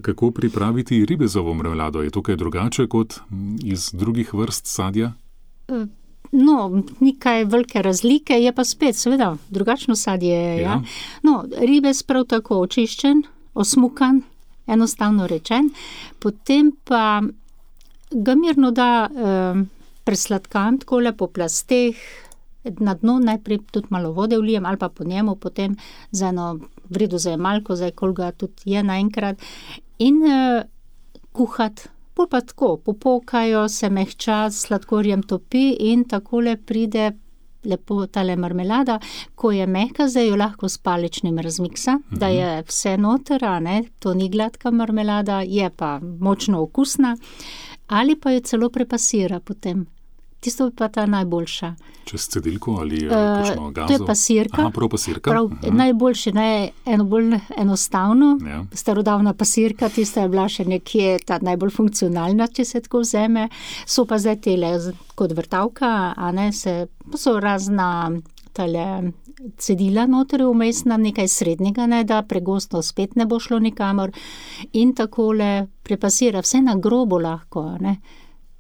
Kako pripraviti ribezovo marmelado? Je to kaj drugače kot iz drugih vrst sadja? No, ni kaj velike razlike, je pa spet, seveda, drugačno sadje. Ja. No, ribez prav tako očiščen, osmukan, enostavno rečen, potem pa ga mirno da presladkan, takole po plasteh, na dno najprej tudi malo vode vlijem ali pa po njemu, potem za eno vredo zajemalko, zdaj koliko tudi je naenkrat, in kuhat. Pol pa tako, popokajo, se mehča, s sladkorjem topi in takole pride lepo tale marmelada. Ko je mehka, zdaj jo lahko s paličnim razmiksa, da je vse noter, to ni gladka marmelada, je pa močno okusna, ali pa jo celo prepasira potem. Tisto je pa ta najboljša. Čez cedilko ali kakšno gazo? To je pasirka. Aha, prav pasirka. Najboljše, bolj enostavno. Ja. Starodavna pasirka, tista je bila še nekje ta najbolj funkcionalna, če se tako vzeme. So pa zdaj tele kot vrtavka, so razna tale cedila noter vmesna, nekaj srednjega, da pregosto spet ne bo šlo nikamor. In takole prepasira, vse na grobo lahko,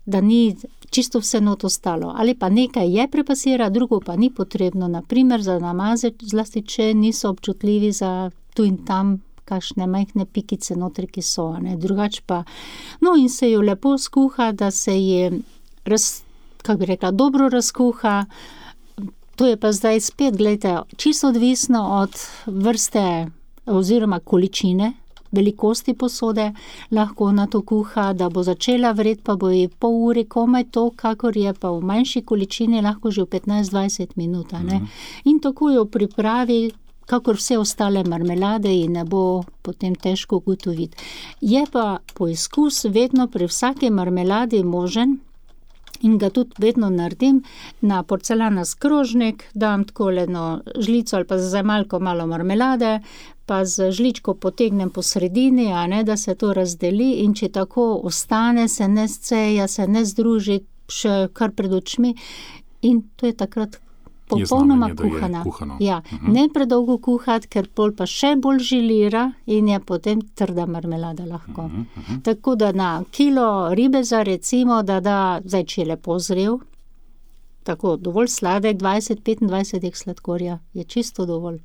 da ni čisto vse not ostalo. Ali pa nekaj je prepasira, drugo pa ni potrebno, naprimer za namaze, zlasti če niso občutljivi za tu in tam kakšne majhne pikice notri, ki so, drugače pa. No, in se jo lepo skuha, da se je, dobro razkuha. To je pa zdaj spet, gledajte, čisto odvisno od vrste oziroma količine, velikosti posode, lahko na to kuha, da bo začela vret, pa bo je pol ure komaj to, kakor je pa v manjši količini, lahko že v 15-20 minut, In tako jo pripravi, kakor vse ostale marmelade in ne bo potem težko ugotoviti. Je pa poizkus vedno pri vsaki marmeladi možen, in ga tudi vedno naredim na porcelanast krožnik, dam takole žlico ali pa z zajemalko malo marmelade, pa z žličko potegnem po sredini, da se to razdeli, in če tako ostane, se ne sceja, se ne združi še kar pred očmi, in to je takrat popolnoma kuhana. Ja, ne predolgo kuhati, ker pol pa še bolj žilira in je potem trda marmelada lahko. Tako da na kilo ribeza recimo, da zdaj, če je lepo zrel, tako dovolj sladek, 20-25 sladkorja je čisto dovolj.